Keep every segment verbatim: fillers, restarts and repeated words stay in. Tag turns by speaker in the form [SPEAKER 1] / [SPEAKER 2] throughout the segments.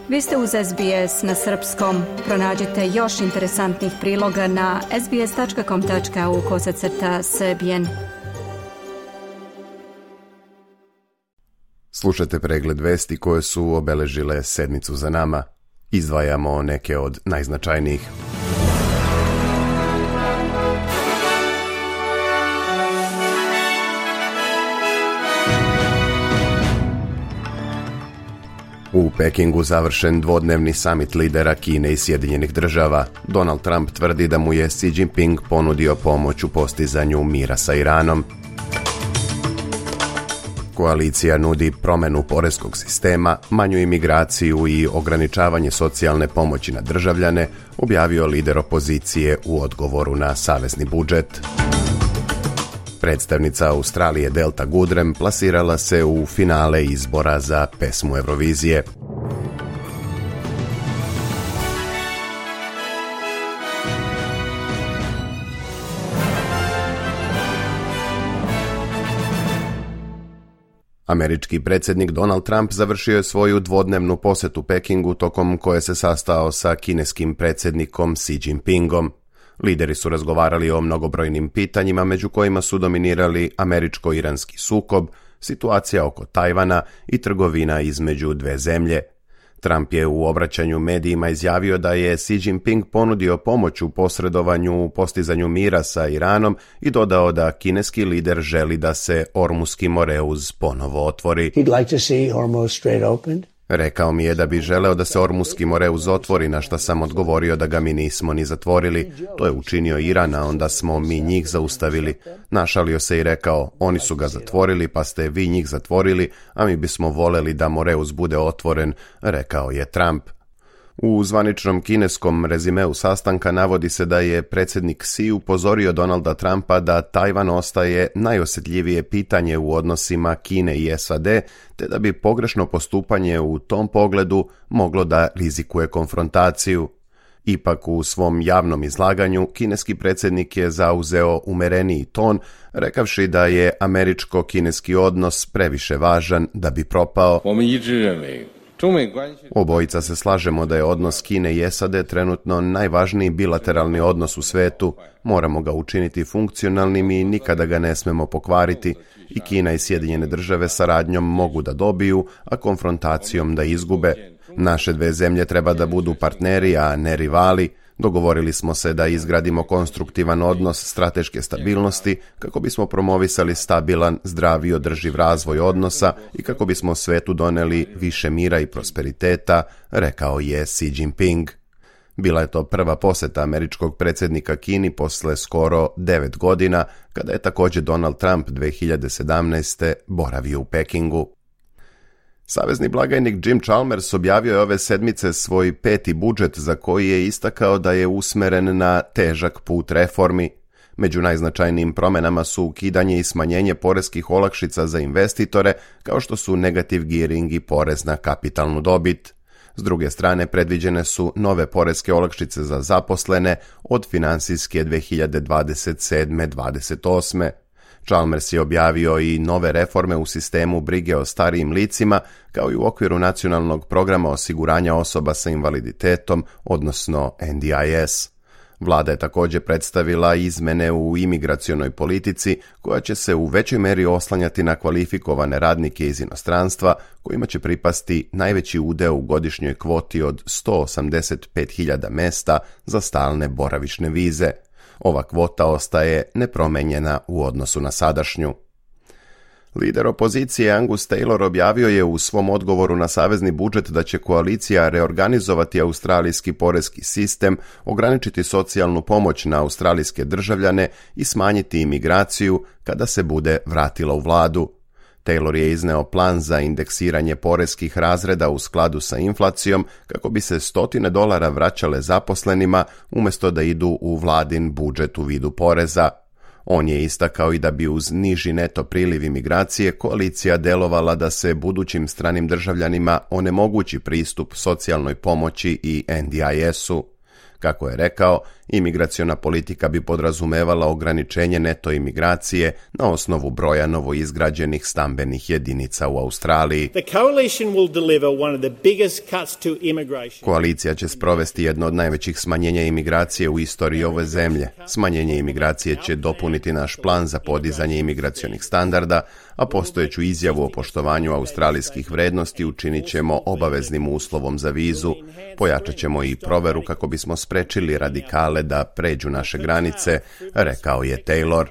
[SPEAKER 1] Vi ste uz S B S na srpskom. Pronađite još interesantnih priloga na sbs tačka com tačka au kosacrta srbijen.
[SPEAKER 2] Slušajte pregled vesti koje su obeležile sedmicu za nama. Izdvajamo neke od najznačajnijih. U Pekingu završen dvodnevni samit lidera Kine i Sjedinjenih država. Donald Trump tvrdi da mu je Xi Jinping ponudio pomoć u postizanju mira sa Iranom. Koalicija nudi promjenu poreskog sistema, manju imigraciju i ograničavanje socijalne pomoći na državljane, objavio lider opozicije u odgovoru na savezni budžet. Predstavnica Australije Delta Goodrem plasirala se u finale izbora za pesmu Eurovizije. Američki predsjednik Donald Trump završio je svoju dvodnevnu posjetu Pekingu tokom koje se sastao sa kineskim predsjednikom Xi Jinpingom. Lideri su razgovarali o mnogobrojnim pitanjima, među kojima su dominirali američko-iranski sukob, situacija oko Tajvana i trgovina između dve zemlje. Trump je u obraćanju medijima izjavio da je Xi Jinping ponudio pomoć u posredovanju u postizanju mira sa Iranom i dodao da kineski lider želi da se Ormuski Moreuz ponovo otvori.
[SPEAKER 3] He'd like to see Hormuz straight opened.
[SPEAKER 2] Rekao mi je da bi želeo da se Ormuski Moreuz otvori, na šta sam odgovorio da ga mi nismo ni zatvorili. To je učinio Iran, a onda smo mi njih zaustavili. Našalio se i rekao, oni su ga zatvorili, pa ste vi njih zatvorili, a mi bismo voleli da Moreuz bude otvoren, rekao je Trump. U zvaničnom kineskom rezimeu sastanka navodi se da je predsjednik Xi upozorio Donalda Trumpa da Tajvan ostaje najosjetljivije pitanje u odnosima Kine i S A D, te da bi pogrešno postupanje u tom pogledu moglo da rizikuje konfrontaciju. Ipak u svom javnom izlaganju kineski predsjednik je zauzeo umereniji ton, rekavši da je američko-kineski odnos previše važan da bi propao. Obojica se slažemo da je odnos Kine i S A D trenutno najvažniji bilateralni odnos u svetu. Moramo ga učiniti funkcionalnim i nikada ga ne smemo pokvariti. I Kina i Sjedinjene države saradnjom mogu da dobiju, a konfrontacijom da izgube. Naše dve zemlje treba da budu partneri, a ne rivali. Dogovorili smo se da izgradimo konstruktivan odnos strateške stabilnosti kako bismo promovisali stabilan, zdrav i održiv razvoj odnosa i kako bismo svetu doneli više mira i prosperiteta, rekao je Xi Jinping. Bila je to prva posjeta američkog predsjednika Kini posle skoro devet godina, kada je također Donald Trump dve hiljade sedamnaeste. boravio u Pekingu. Savezni blagajnik Jim Chalmers objavio je ove sedmice svoj peti budžet za koji je istakao da je usmeren na težak put reformi. Među najznačajnijim promjenama su ukidanje i smanjenje poreskih olakšica za investitore, kao što su negative gearing i porez na kapitalnu dobit. S druge strane, predviđene su nove poreske olakšice za zaposlene od finansijske dve hiljade dvadeset sedme dvadeset osme. Chalmers je objavio i nove reforme u sistemu brige o starijim licima, kao i u okviru nacionalnog programa osiguranja osoba sa invaliditetom, odnosno N D I S. Vlada je također predstavila izmene u imigracionoj politici, koja će se u većoj meri oslanjati na kvalifikovane radnike iz inostranstva, kojima će pripasti najveći udeo u godišnjoj kvoti od sto osamdeset pet hiljada mesta za stalne boravišne vize. Ova kvota ostaje nepromenjena u odnosu na sadašnju. Lider opozicije Angus Taylor objavio je u svom odgovoru na savezni budžet da će koalicija reorganizovati australijski poreski sistem, ograničiti socijalnu pomoć na australijske državljane i smanjiti imigraciju kada se bude vratila u vladu. Taylor je izneo plan za indeksiranje poreskih razreda u skladu sa inflacijom kako bi se stotine dolara vraćale zaposlenima umjesto da idu u vladin budžet u vidu poreza. On je istakao i da bi uz niži neto priliv imigracije koalicija delovala da se budućim stranim državljanima onemogući pristup socijalnoj pomoći i N D I S-u. Kako je rekao, imigraciona politika bi podrazumevala ograničenje neto imigracije na osnovu broja novoizgrađenih stambenih jedinica u Australiji. Koalicija će sprovesti jedno od najvećih smanjenja imigracije u istoriji ove zemlje. Smanjenje imigracije će dopuniti naš plan za podizanje imigracionih standarda, a postojeću izjavu o poštovanju australijskih vrednosti učinit ćemo obaveznim uslovom za vizu. Pojačat ćemo i proveru kako bismo sprečili radikale da pređu naše granice, rekao je Taylor.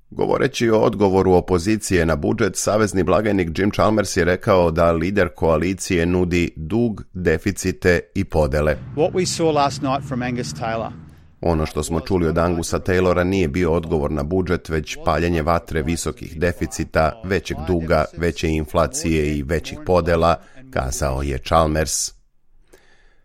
[SPEAKER 2] Govoreći o odgovoru opozicije na budžet, savezni blagajnik Jim Chalmers je rekao da lider koalicije nudi dug, deficite i podele.
[SPEAKER 4] What we saw last night from Angus Taylor.
[SPEAKER 2] Ono što smo čuli od Angusa Taylora nije bio odgovor na budžet, već paljenje vatre visokih deficita, većeg duga, veće inflacije i većih podela, kazao je Chalmers.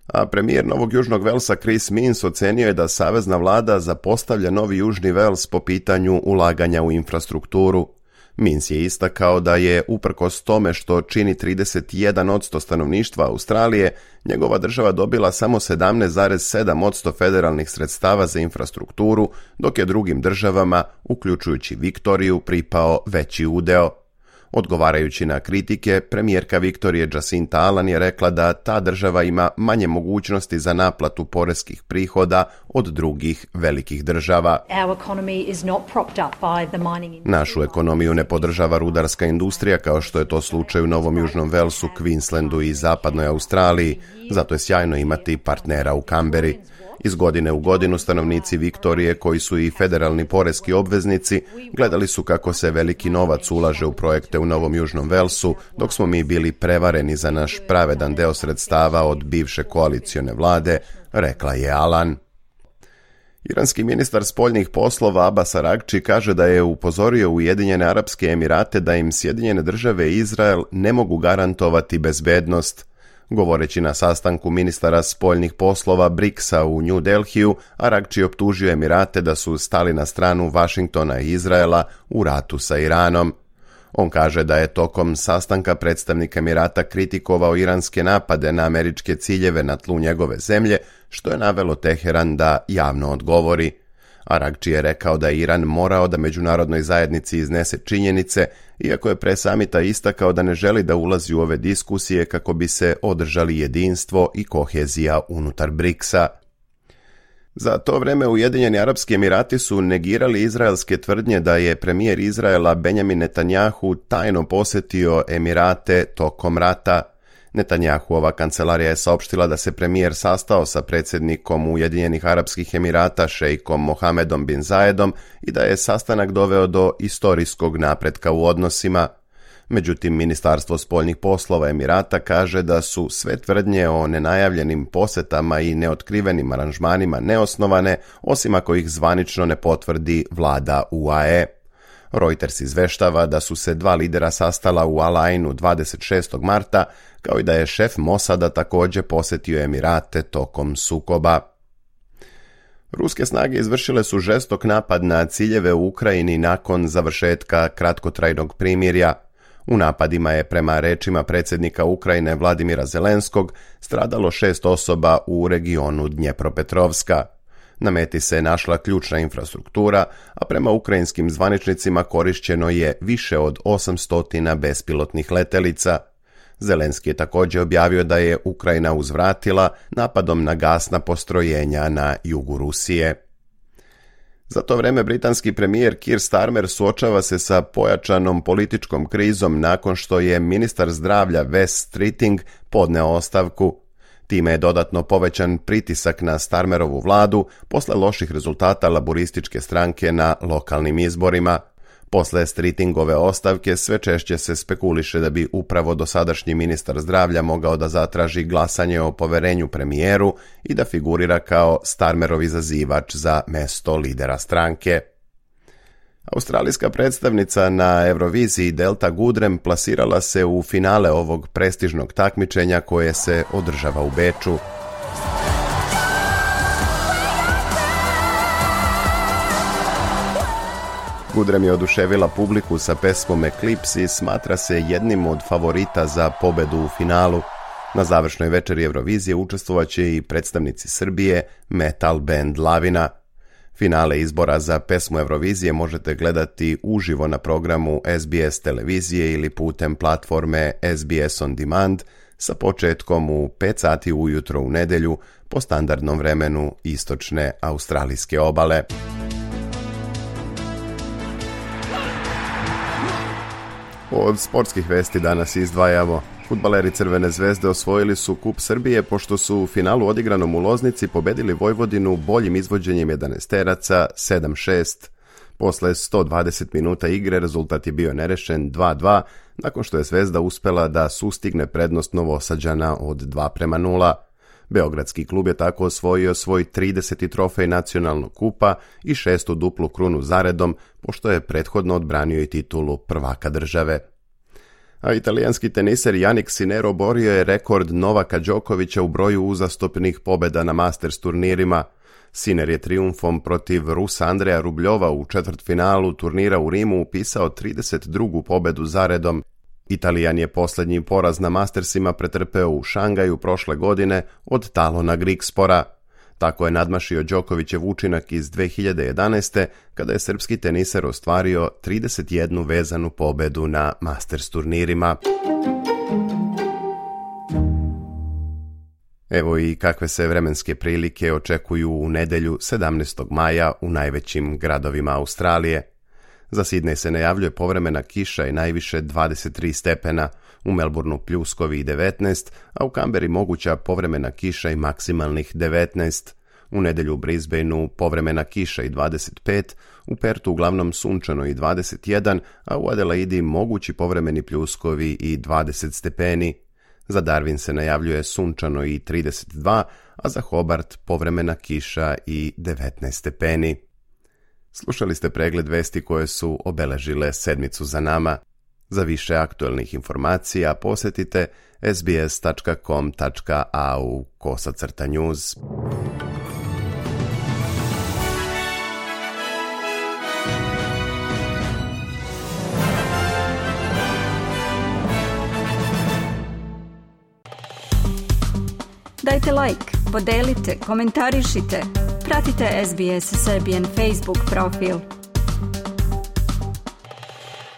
[SPEAKER 2] A premijer Novog Južnog Velsa Chris Minns ocenio je da savezna vlada zapostavlja Novi Južni Vels po pitanju ulaganja u infrastrukturu. Minns je istakao da je, uprkos tome što čini trideset jedan posto stanovništva Australije, njegova država dobila samo sedamnaest zarez sedam posto federalnih sredstava za infrastrukturu, dok je drugim državama, uključujući Viktoriju, pripao veći udeo. Odgovarajući na kritike, premijerka Viktorije Jacinta Allan je rekla da ta država ima manje mogućnosti za naplatu poreskih prihoda od drugih velikih država. Našu ekonomiju ne podržava rudarska industrija kao što je to slučaj u Novom Južnom Velsu, Queenslandu i zapadnoj Australiji, zato je sjajno imati partnera u Kamberi. Iz godine u godinu stanovnici Viktorije, koji su i federalni poreski obveznici, gledali su kako se veliki novac ulaže u projekte u Novom Južnom Velsu, dok smo mi bili prevareni za naš pravedan deo sredstava od bivše koalicione vlade, rekla je Allan. Iranski ministar spoljnih poslova Abbas Araghchi kaže da je upozorio Ujedinjene Arapske Emirate da im Sjedinjene države i Izrael ne mogu garantovati bezbednost. Govoreći na sastanku ministara spoljnih poslova briksa u New Delhiju, Araghchi optužio Emirate da su stali na stranu Vašingtona i Izraela u ratu sa Iranom. On kaže da je tokom sastanka predstavnik Emirata kritikovao iranske napade na američke ciljeve na tlu njegove zemlje, što je navelo Teheran da javno odgovori. Araghchi je rekao da je Iran morao da međunarodnoj zajednici iznese činjenice, iako je pre samita istakao da ne želi da ulazi u ove diskusije kako bi se održali jedinstvo i kohezija unutar briksa. Za to vreme Ujedinjeni Arapski Emirati su negirali izraelske tvrdnje da je premijer Izraela Benjamin Netanjahu tajno posjetio Emirate tokom rata. Netanjahuova kancelarija je saopštila da se premijer sastao sa predsjednikom Ujedinjenih Arapskih Emirata šejkom Mohamedom bin Zayedom i da je sastanak doveo do istorijskog napretka u odnosima. Međutim, Ministarstvo spoljnih poslova Emirata kaže da su sve tvrdnje o nenajavljenim posjetama i neotkrivenim aranžmanima neosnovane, osim ako ih zvanično ne potvrdi vlada U A E. Reuters izveštava da su se dva lidera sastala u Al Ainu dvadeset šestog marta, kao i da je šef Mosada također posjetio Emirate tokom sukoba. Ruske snage izvršile su žestok napad na ciljeve u Ukrajini nakon završetka kratkotrajnog primirja. U napadima je, prema rečima predsjednika Ukrajine Vladimira Zelenskog, stradalo šest osoba u regionu Dnjepropetrovska. Na meti se našla ključna infrastruktura, a prema ukrajinskim zvaničnicima korišćeno je više od osamsto bespilotnih letelica. Zelenski je također objavio da je Ukrajina uzvratila napadom na gasna postrojenja na jugu Rusije. Za to vreme britanski premijer Keir Starmer suočava se sa pojačanom političkom krizom nakon što je ministar zdravlja Wes Streeting podneo ostavku. Time je dodatno povećan pritisak na Starmerovu vladu posle loših rezultata laborističke stranke na lokalnim izborima. Posle Streetingove ostavke sve češće se spekuliše da bi upravo dosadašnji ministar zdravlja mogao da zatraži glasanje o poverenju premijeru i da figurira kao Starmerov izazivač za mesto lidera stranke. Australijska predstavnica na Euroviziji Delta Goodrem plasirala se u finale ovog prestižnog takmičenja koje se održava u Beču. Goodrem je oduševila publiku sa pesmom Eclipse i smatra se jednim od favorita za pobedu u finalu. Na završnoj večeri Eurovizije učestvovaće i predstavnici Srbije, metal band Lavina. Finale izbora za pesmu Eurovizije možete gledati uživo na programu S B S televizije ili putem platforme S B S On Demand sa početkom u pet sati ujutro u nedjelju po standardnom vremenu istočne australijske obale. Od sportskih vesti danas izdvajamo. Fudbaleri Crvene zvezde osvojili su Kup Srbije pošto su u finalu odigranom u Loznici pobedili Vojvodinu boljim izvođenjem jedanaesteraca sedam šest. Posle sto dvadeset minuta igre rezultat je bio nerešen dva dva, nakon što je Zvezda uspela da sustigne prednost Novosađana od dva prema nula. Beogradski klub je tako osvojio svoj trideseti trofej nacionalnog kupa i šestu duplu krunu zaredom, pošto je prethodno odbranio i titulu prvaka države. A italijanski teniser Jannik Sinner oborio je rekord Novaka Đokovića u broju uzastopnih pobjeda na Masters turnirima. Sinner je trijumfom protiv Rusa Andreja Rubljova u četvrtfinalu turnira u Rimu upisao trideset drugu pobjedu zaredom. Italijan je posljednji poraz na Mastersima pretrpeo u Šangaju prošle godine od Talona Grigspora. Tako je nadmašio Đokovićev učinak iz dve hiljade jedanaeste. kada je srpski teniser ostvario trideset jednu vezanu pobedu na Masters turnirima. Evo i kakve se vremenske prilike očekuju u nedjelju sedamnaestog maja u najvećim gradovima Australije. Za Sidney se najavljuje povremena kiša i najviše dvadeset tri stepena, u Melbourneu pljuskovi i devetnaest, a u Kamberi moguća povremena kiša i maksimalnih devetnaest. U nedjelju u Brisbaneu povremena kiša i dvadeset pet, u Pertu uglavnom sunčano i dvadeset jedan, a u Adelaidi mogući povremeni pljuskovi i dvadeset stepeni. Za Darwin se najavljuje sunčano i trideset dva, a za Hobart povremena kiša i devetnaest stepeni. Slušali ste pregled vesti koje su obeležile sedmicu za nama. Za više aktualnih informacija posjetite sbs tačka com tačka a u kosacrta news.
[SPEAKER 1] Dajte like, podelite, komentarišite, pratite S B S Serbian Facebook profil.